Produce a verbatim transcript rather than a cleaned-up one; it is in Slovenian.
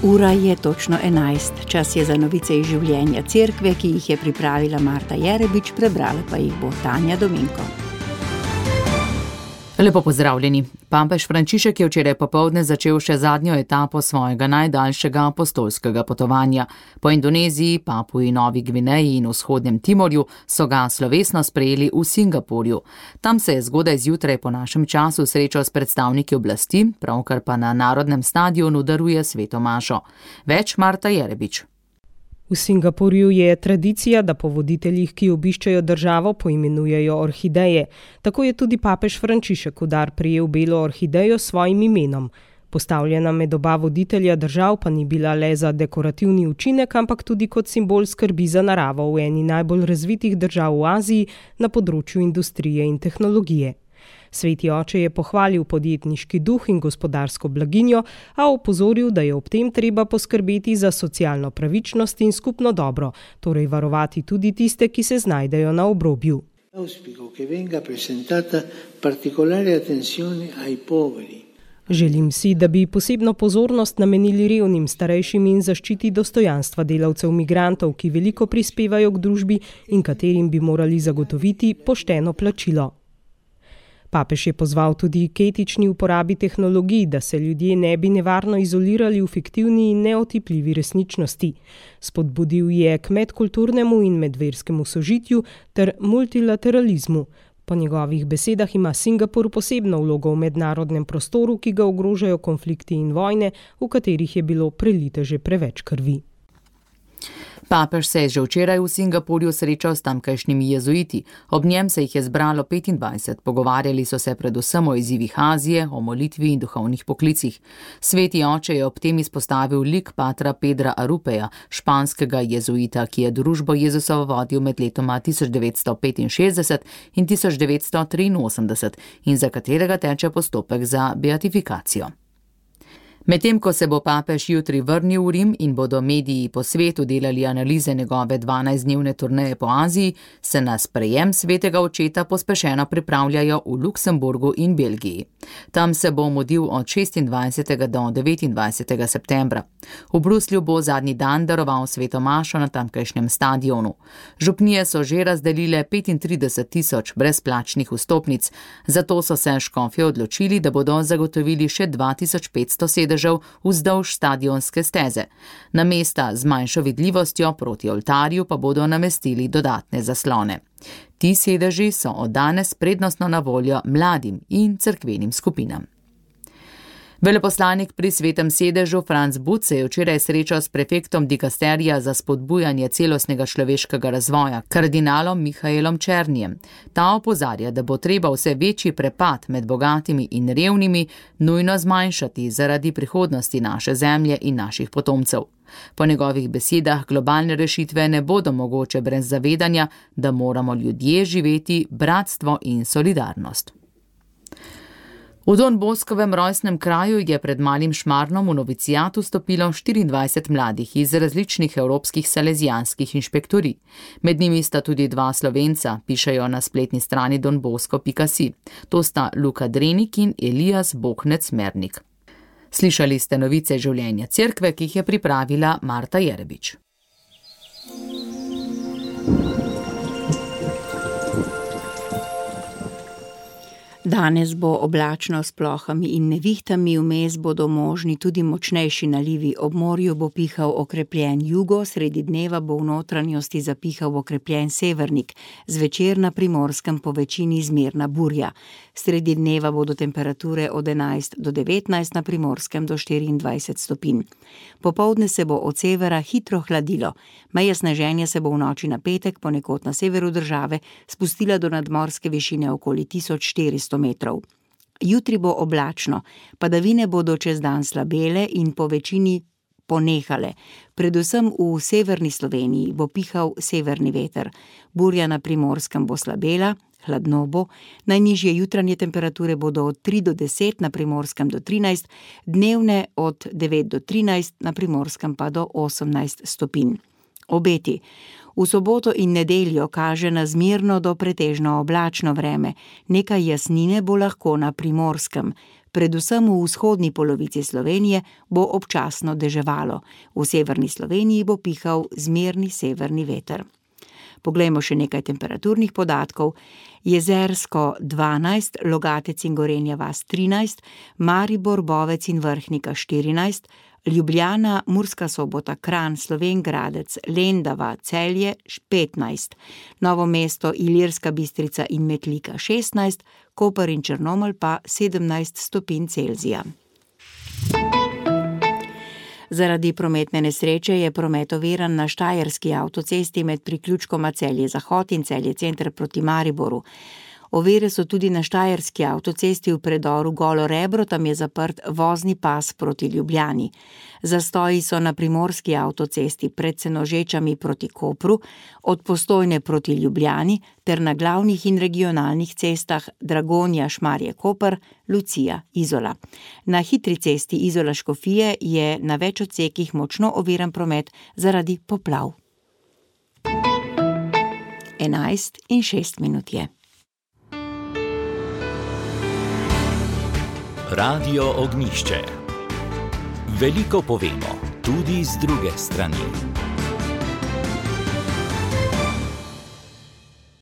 Ura je točno enajst. Čas je za novice iz življenja cerkve, ki jih je pripravila Marta Jerebič, prebrala pa jih bo Tanja Dominko. Lepo pozdravljeni. Papež Frančišek je včeraj popoldne začel še zadnjo etapo svojega najdaljšega apostolskega potovanja. Po Indoneziji, Papui Novi Gvineji in vzhodnem Timorju so ga slovesno sprejeli v Singapurju. Tam se je zgodaj zjutraj po našem času srečal s predstavniki oblasti, pravkar pa na Narodnem stadionu daruje sveto mašo. Več Marta Jerebič. V Singapurju je tradicija, da po voditeljih, ki obiščajo državo, poimenujejo orhideje. Tako je tudi papež Frančišek v dar prejel belo orhidejo s svojim imenom. Postavljena med oba voditelja držav pa ni bila le za dekorativni učinek, ampak tudi kot simbol skrbi za naravo v eni najbolj razvitih držav v Aziji na področju industrije in tehnologije. Sveti oče je pohvalil podjetniški duh in gospodarsko blaginjo, a opozoril, da je ob tem treba poskrbeti za socialno pravičnost in skupno dobro, torej varovati tudi tiste, ki se znajdejo na obrobju. Želim si, da bi posebno pozornost namenili revnim, starejšim in zaščiti dostojanstva delavcev migrantov, ki veliko prispevajo k družbi in katerim bi morali zagotoviti pošteno plačilo. Papež je pozval tudi k etični uporabi tehnologij, da se ljudje ne bi nevarno izolirali v fiktivni in neotipljivi resničnosti. Spodbudil je k medkulturnemu in medverskemu sožitju ter multilateralizmu. Po njegovih besedah ima Singapur posebno vlogo v mednarodnem prostoru, ki ga ogrožajo konflikti in vojne, v katerih je bilo prelite že preveč krvi. Papež se je že včeraj v Singapurju srečal s tamkajšnjimi jezuiti. Ob njem se jih je zbralo petindvajset. Pogovarjali so se predvsem o izzivih Azije, o molitvi in duhovnih poklicih. Sveti oče je ob tem izpostavil lik patra Pedra Arupeja, španskega jezuita, ki je družbo Jezusovo vodil med letoma tisoč devetsto petinšestdeset in tisoč devetsto triinosemdeset in za katerega teče postopek za beatifikacijo. Medtem ko se bo papež jutri vrnil v Rim in bodo mediji po svetu delali analize njegove dvanajstdnevne turneje po Aziji, se na sprejem svetega očeta pospešeno pripravljajo v Luksemburgu in Belgiji. Tam se bo mudil od šestindvajsetega do devetindvajsetega septembra. V Bruslju bo zadnji dan daroval sveto mašo na tamkajšnjem stadionu. Župnije so že razdelile petintrideset tisoč brezplačnih vstopnic, zato so se škofje odločili, da bodo zagotovili še dva tisoč petsto sedežev vzdolž stadionske steze. Na mesta z manjšo vidljivostjo proti oltarju pa bodo namestili dodatne zaslone. Ti sedeži so od danes prednostno na voljo mladim in cerkvenim skupinam. Veleposlanik pri Svetem sedežu Franc But se je včeraj srečal s prefektom dikasterija za spodbujanje celostnega človeškega razvoja, kardinalom Mihaelom Černijem. Ta opozarja, da bo treba vse večji prepad med bogatimi in revnimi nujno zmanjšati zaradi prihodnosti naše zemlje in naših potomcev. Po njegovih besedah globalne rešitve ne bodo mogoče brez zavedanja, da moramo ljudje živeti bratstvo in solidarnost. V Don Boskovem rojstnem kraju je pred Malim Šmarnom v novicijat vstopilo štiriindvajset mladih iz različnih evropskih salezijanskih inšpektorij. Med njimi sta tudi dva Slovenca, pišejo na spletni strani donbosko pika si. To sta Luka Drenik in Elijas Bohnec-Mernik. Slišali ste novice življenja cerkve, ki jih je pripravila Marta Jerebič. Danes bo oblačno s plohami in nevihtami, vmes bodo možni tudi močnejši nalivi. Ob morju bo pihal okrepljen jugo, sredi dneva bo v notranjosti zapihal okrepljen severnik, zvečer na Primorskem po večini zmerna burja. Sredi dneva bodo temperature od enajst do devetnajst, na Primorskem do štiriindvajset stopinj. Popoldne se bo od severa hitro hladilo. Meja sneženja se bo v noči na petek ponekod na severu države spustila do nadmorske višine okoli tisoč štiristo metrov. Jutri bo oblačno, padavine bodo čez dan slabele in po večini ponehale. Predvsem v severni Sloveniji bo pihal severni veter. Burja na Primorskem bo slabela, hladno bo, najnižje jutranje temperature bodo od tri do deset, na Primorskem do trinajst, dnevne od devet do trinajst, na Primorskem pa do osemnajst stopinj. Obeti. V soboto in nedeljo kaže na zmerno do pretežno oblačno vreme. Nekaj jasnine bo lahko na Primorskem. Predvsem v vzhodni polovici Slovenije bo občasno deževalo. V severni Sloveniji bo pihal zmerni severni veter. Poglejmo še nekaj temperaturnih podatkov. Jezersko dvanajst, Logatec in Gorenja vas trinajst, Maribor, Bovec in Vrhnika štirinajst, Ljubljana, Murska Sobota, Kranj, Slovenj Gradec, Lendava, Celje petnajst, Novo mesto, Ilirska Bistrica in Metlika šestnajst, Koper in Črnomelj pa sedemnajst stopinj Celzija. Zaradi prometne nesreče je promet oviran na štajerski avtocesti med priključkoma Celje-Zahod in Celje-Center proti Mariboru. Ovire so tudi na štajerski avtocesti v predoru Golo Rebro, tam je zaprt vozni pas proti Ljubljani. Zastoji so na primorski avtocesti pred Senožečami proti Kopru, od Postojne proti Ljubljani ter na glavnih in regionalnih cestah Dragonja, Šmarje, Koper, Lucija, Izola. Na hitri cesti Izola-Škofije je na več odsekih močno oviran promet zaradi poplav. enajst in šest minut je. Radio Ognjišče. Veliko povemo, tudi z druge strani.